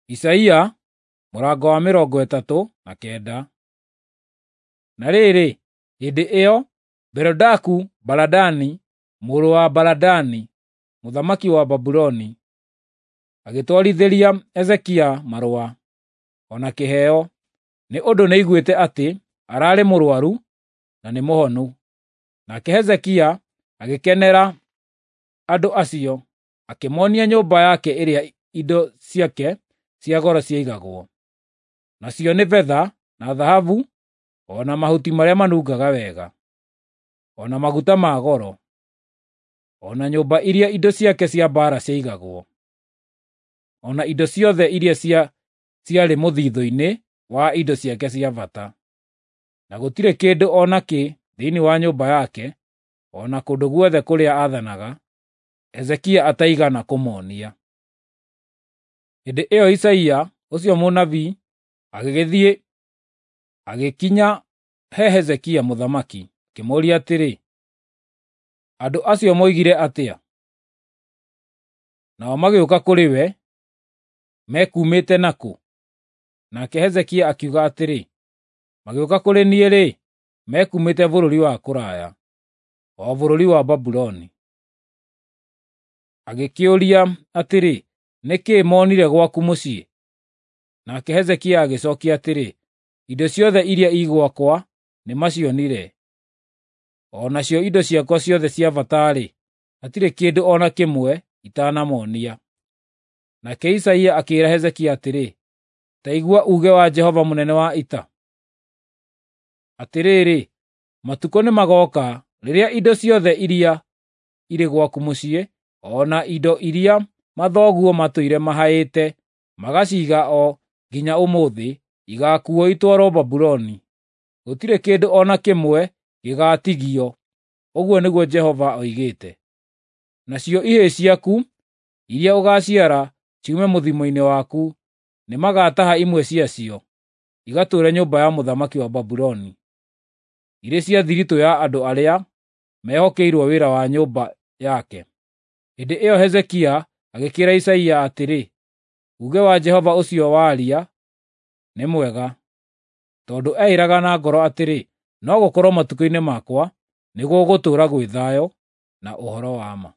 Isaia mũrango wa 39. Na rĩrĩ, hĩndĩ ĩyo Berodaku-Baladani mũrũ wa Baladani, mũthamaki wa Babuloni, agĩtwarithĩria Hezekia marũa, o na kĩheo, nĩ ũndũ nĩaiguĩte atĩ ararĩ mũrũaru na nĩ mũhonu. Nake Hezekia agĩkenera andũ acio, akĩmoonia nyũmba yake ĩrĩa indo ciake cia goro ciaigagwo, nacio nĩ betha na thahabu, o na mahuti marĩa manungaga wega, o na maguta ma goro, o na nyũmba iria indo ciake cia mbaara ciaigagwo, o na indo ciothe iria ciarĩ mũthithũ-inĩ wa indo ciake cia bata. Na gũtirĩ kĩndũ o nakĩ thĩinĩ wa nyũmba yake, o na kũndũ guothe kũrĩa aathanaga, Hezekia ataigana kũmoonia. Hĩndĩ ĩyo Isaia ũcio mũnabii agĩgĩthiĩ agĩkinya he Hezekia mũthamaki, akĩmũũria atĩrĩ, “Andũ acio moigire atĩa? Nao magĩũka kũrĩ we mekuumĩte nakũ?” Nake Hezekia akiuga atĩrĩ, “Magĩũka kũrĩ niĩ-rĩ, mekuumĩte bũrũri wa kũraya, o bũrũri wa Babuloni.” Agĩkĩũria atĩrĩ, “Nĩ kĩĩ moonire gwaku mũciĩ?” Nake Hezekia agĩcookia atĩrĩ, “Indo ciothe iria i gwakwa nĩmacionire, o nacio indo ciakwa ciothe cia bata-rĩ, hatirĩ kĩndũ o na kĩmwe itanamoonia.” Nake Isaia akĩĩra Hezekia atĩrĩ, “Ta igua uuge wa Jehova mũnene wa ita. Atĩrĩrĩ, matukũ nĩmagooka rĩrĩa indo ciothe iria irĩ gwaku mũciĩ, o na indo iria mathoguo matũire mahaĩte magaciiga o nginya ũmũthĩ, igaakuuo itwarwo Babuloni. Gũtirĩ kĩndũ o na kĩmwe gĩgaatigio, ũguo nĩguo Jehova oigĩte. Nacio ihĩĩ ciaku iria ũgaaciara ciume mũthimo-inĩ waku, nĩmagataha imwe ciacio, igatũũre nyũmba ya mũthamaki wa Babuloni, irĩ cia thiritũ ya andũ arĩa mehokeirwo wĩra wa nyũmba yake.” Hĩndĩ ĩyo Hezekia agĩkĩĩra Isaia atĩrĩ, “Uuge wa Jehova ũcio waria nĩ mwega.” Tondũ eĩĩraga na ngoro atĩrĩ, “No gũkorwo matukũ-inĩ makwa nĩgũgũtũũra gwĩ thayũ na ũhoro wa ma.”